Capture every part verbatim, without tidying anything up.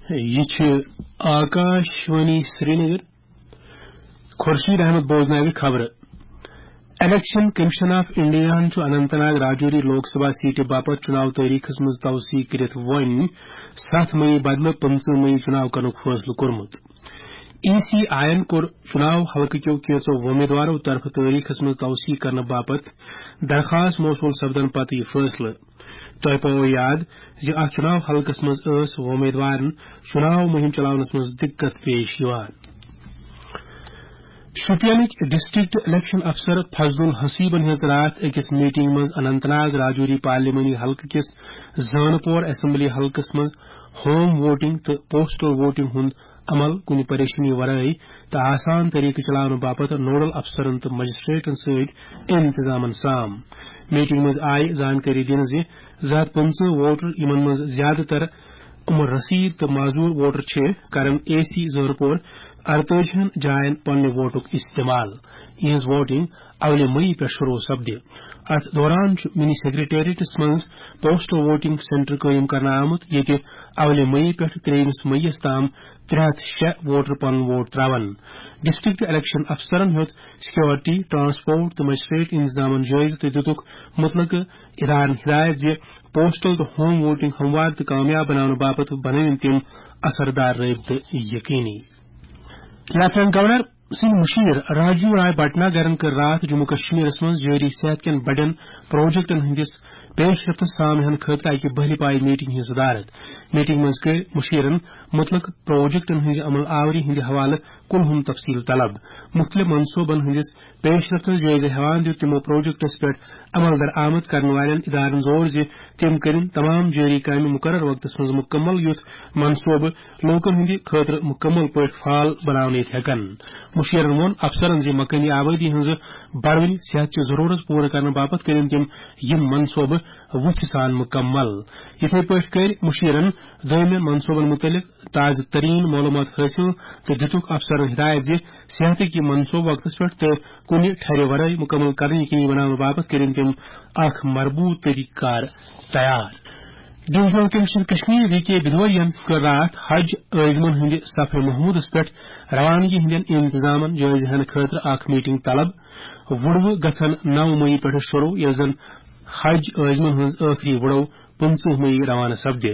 یہِ چھِ آکاش وانی سرینگر۔ خورشید احمد بوزناوِ خبرٕ۔ الیکشن کمیشن آف انڈیاہن چھُ اننت ناگ راجوری لوک سبھا سیٹہِ باپتھ چُناو تٲریخس منٛز توسیع کٔرِتھ وۄنۍ ستھ مئی بدلہٕ پٕنٛژٕہ مئی چُناو کرنُک فٲصلہٕ کوٚرمُت۔ ای سی آیَن کوٚر چُناو حلقہٕ کیو کینٛژو وۄمیدوارو طرفہٕ تٲریخس منٛز توسیع کرنہٕ باپتھ درخواست موصول سپدن پتہٕ یہِ فٲصلہٕ۔ تۄہہِ پاوو یاد زِ اتھ چُناو حلقس منٛز ٲس وۄمیدوارن چُناو مُہِم چلاونس منٛز دِقت پیش یِوان۔ شوپینٕکۍ ڈسٹرکٹ الیکشن افسر فضل الحسیبن ہٕنٛز راتھ أکِس میٹنگ منٛز اننت ناگ راجوری پارلیمانی حلقہٕ کِس زانہٕ پور اسمبلی حلقس منٛز ہوم ووٹنگ تہٕ پوسٹل ووٹنگ ہُنٛد عمل کُنہِ پریشانی ورٲے تہٕ آسان طریقہٕ چلاونہٕ باپتھ نوڈل افسرن تہٕ مجسٹریٹن سۭتۍ انتظامن سام۔ میٹنگ منٛز آیہِ زانکٲری دِنہٕ زِ زٕ ہتھ پٕنٛژٕہ ووٹر، یِمن منٛز زیادٕ تر عمر رسید تہٕ معذور ووٹر چھِ، کرن اے سی زہرپور ارتٲجی ہن جاین پننہِ ووٹُک استعمال، یِہنٛز ووٹنگ اولہِ مئی پٮ۪ٹھ شروع سپدِ۔ اتھ دوران چھُ منی سیکرٹریٹس منٛز پوسٹل ووٹنگ سینٹر قٲیِم کرنہٕ آمُت، ییٚتہِ اولہِ مئی پٮ۪ٹھ ترٛیٚیِمِس مئیس تام ترٛےٚ ہتھ شےٚ ووٹر پنُن ووٹ تراون۔ ڈسٹرکٹ الیکشن افسرن ہیوٚت سیکورٹی، ٹرانسپورٹ تہٕ مجسٹریٹ انتظامن جٲیزٕ تہٕ دِتُکھ مُتلقہٕ ادارن ہدایت زِ پوسٹل تہٕ ہوم ووٹنگ ہموار تہٕ کامیاب بناونہٕ باپتھ بنٲوِن تِم اثردار رٲبطہٕ یقینی۔ لیفٹیننٹ گورنر سٕنٛدۍ مُشیر راجیو راے بھٹناگرن کٔر راتھ جموں کشمیرس منٛز جٲری صحت کٮ۪ن بڑٮ۪ن پروجیکٹن ہٕنٛدِس پیش رفتس سامعن خٲطرٕ اکہِ بہلہِ پایہِ میٹنگ ہٕنٛز صدارت۔ میٹنگ منٛز کٔرۍ مُشیرن مُتلق پروجیکٹن ہٕنٛزِ عمل آوری ہٕنٛدِ حوالہٕ کُلہُم تفصیل طلب۔ مُختٔلِف منصوبن ہٕنٛدِس پیش رفتس جٲیزٕ ہٮ۪وان دیُت تِمو پروجیکٹس پٮ۪ٹھ عمل درآمد کرن والٮ۪ن ادارن زور زِ تِم کٔرِن تمام جٲری کامہِ مُقرر وقتس منٛز مُکمل، یُتھ منصوبہٕ لوٗکن ہٕنٛدِ خٲطرٕ مُکمل پٲٹھۍ فعال بناونہٕ یِتھ ہٮ۪کن۔ مُشیرن ووٚن افسرن زِ مقٲمی آبٲدی ہٕنٛزٕ بڑوٕنۍ صحت چہِ ضروٗرت پوٗرٕ کرنہٕ باپتھ کٔرِن تِم یِم منصوبہٕ وُتھِ سان مُکمل۔ یِتھے پٲٹھۍ کٔرۍ مُشیرن دوٚیمٮ۪ن منصوبن مُتعلق تازٕ ترین معلومات حٲصِل تہٕ دِتُکھ افسرن ہدایت زِ صحتٕکۍ یِم منصوبہٕ وقتس پٮ۪ٹھ تہٕ کُنہِ ٹھرِ ورٲے مُکمل کرنہٕ یقینی بناونہٕ باپتھ کٔرِن تِم اکھ مربوط طریقہٕ کار تیار۔ ڈویژنل کمشنر کشمیر وی کے بدوریَن کٔر راتھ حج عٲزمن ہٕنٛدِ سفرِ محمودس پٮ۪ٹھ روانگی ہٕنٛدٮ۪ن انتظامن جٲیزٕ ہٮ۪نہٕ خٲطرٕ اکھ میٹنگ طلب۔ وُڑوٕ گژھن نو مئی پٮ۪ٹھٕ شروع، ییٚلہِ زن حج عٲزمن ہٕنٛز ٲخری وُڑو پٕنٛژٕہ مئی روانہٕ سپدِ۔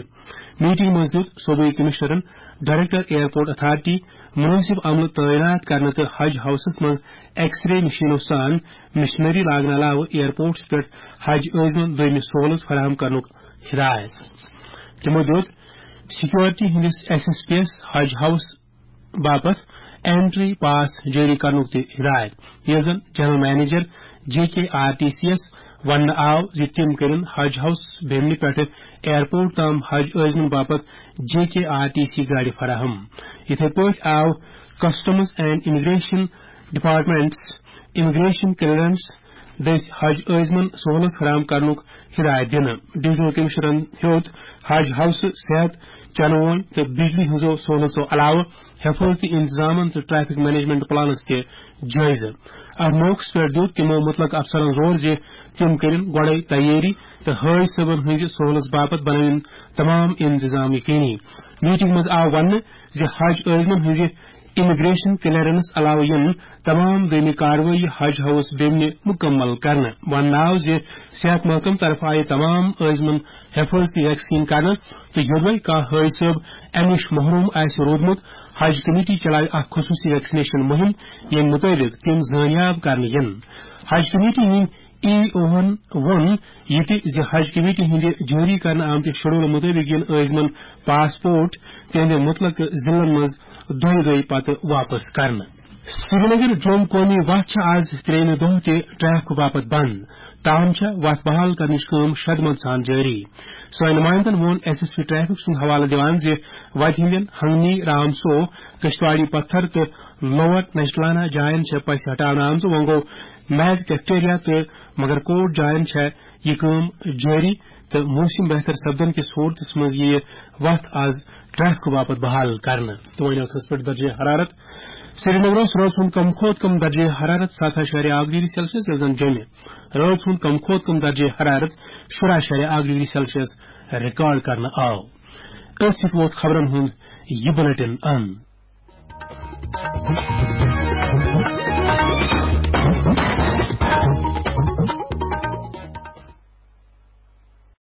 میٹنگ منٛز دیُت صوبٲئی کمشنرن ڈائریکٹر ایئرپورٹ اتھارٹی، مُنٲسِب عملہٕ تعینات کرنہٕ تہٕ حج ہاؤسس منٛز ایکس رے مشینو سان مشینری لاگنہٕ علاوٕ ایئرپورٹس پٮ۪ٹھ حج عٲزمن دوٚیمہِ سہولت فراہم کرنُک ہدایت۔ تِمو دیُت سیکورٹی ہٕنٛدِس ایس ایس پی یس حج ہاؤس باپتھ اینٹری پاس جٲری کرنُک تہِ ہدایت، ییٚلہِ زن جنرل منیجر جے کے آر ٹی سی یس وننہٕ آو زِ تِم کٔرِن حج ہاؤس بیمنہِ پٮ۪ٹھٕ ایئرپورٹ تام حج عٲزمن باپتھ جے کے آر ٹی سی گاڑِ فراہم۔ یِتھے پٲٹھۍ آو customs and immigration departments immigration clearance دٔسۍ حج عٲزمن سہولت فراہم کرنُک ہدایت دِنہٕ۔ ڈویژنل کمشنرن ہیوٚت حج ہاؤسہٕ، صحت، چنہٕ وٲنۍ تہٕ بجلی ہٕنٛزو سہولژو علاوٕ حفاظتی انتظامن تہٕ ٹریفک مینجمنٹ پلانس تہِ جٲیزٕ۔ اتھ موقعس پٮ۪ٹھ دیُت تِمو مُتلق افسرن زور زِ تِم کٔرِن گۄڈے تیٲری تہٕ حٲج صٲبن ہٕنٛزِ سہولژ باپتھ بنٲوِن تمام انتظام یقینی۔ میٹنگ منٛز آو وننہٕ زِ حج عٲزمن ہٕنٛزِ امیگریشن کلیئرنس علاوٕ یِن تمام دوٚیمہِ کاروٲیی حج ہاؤس بیمنہِ مُکمل کرنہٕ۔ وننہٕ آو زِ صحت محکمہٕ طرفہٕ آیہِ تمام عٲزمن حفٲظتی ویکسیٖن کرنہٕ تہٕ یوٚدوے کانٛہہ حٲج صٲب امہِ نِش محروم آسہِ روٗدمُت، حج کمیٹی چلاوِ اکھ خصوٗصی ویکسینیشن مُہِم، ییٚمہِ مُطٲبِق تِم زٲنیاب کرنہٕ یِن۔ حج کمیٹی ہٕنٛدۍ ای اوہن ووٚن یہِ تہِ زِ حج کمیٹی ہٕنٛدِ جٲری کرنہٕ آمتہِ شیڈول مُطٲبِق یِن عٲزمن پاسپورٹ تِہنٛدِ مُتلقہٕ ضلعن منٛز دۄیہِ دۄہہِ پتہٕ واپس کرنہٕ۔ سرینگر جوم قومی وتھ چھِ آز ترٛیٚیمہِ دۄہ تہِ ٹریفک باپتھ بند۔ تاہم چھےٚ وتھ بحال کرنٕچ کٲم شدمت سان جٲری۔ سٲنۍ نمائندن ووٚن ایس ایس پی ٹریفک سُنٛد حوالہٕ دِوان زِ وتہِ ہٕنٛدٮ۪ن ہنگنی، رامسو، کشتواڑی پتھر تہٕ لوور نجٹلانہ جاین چھےٚ پسہِ ہٹاونہٕ آمژٕ۔ وۄنۍ گوٚو میگ کیفٹیریا تہٕ مگر کوٹ جاین چھےٚ یہِ کٲم جٲری تہٕ موسم بہتر سپدن کِس صورتس منٛز یِیہِ وتھ آز ٹریفک باپتھ بحال کرنہٕ۔ تہٕ وۄنۍ ٲخرس پٮ۪ٹھ درجہ حرارت۔ سرینگرس رٲژ ہُنٛد کم کھۄتہٕ کم درجہ حرارت ستھ اعشاریہ اکھ ڈگری سیلسیس، ییٚلہِ زن جوٚمہِ رٲژ ہُنٛد کم کھۄتہٕ کم درجہ حرارت شُراہ اعشاریہ اکھ ڈگری سیلسیس ریکارڈ کرنہٕ آو۔ أتھۍ سۭتۍ ووت خبرن ہُنٛد یہِ بلیٹن اند۔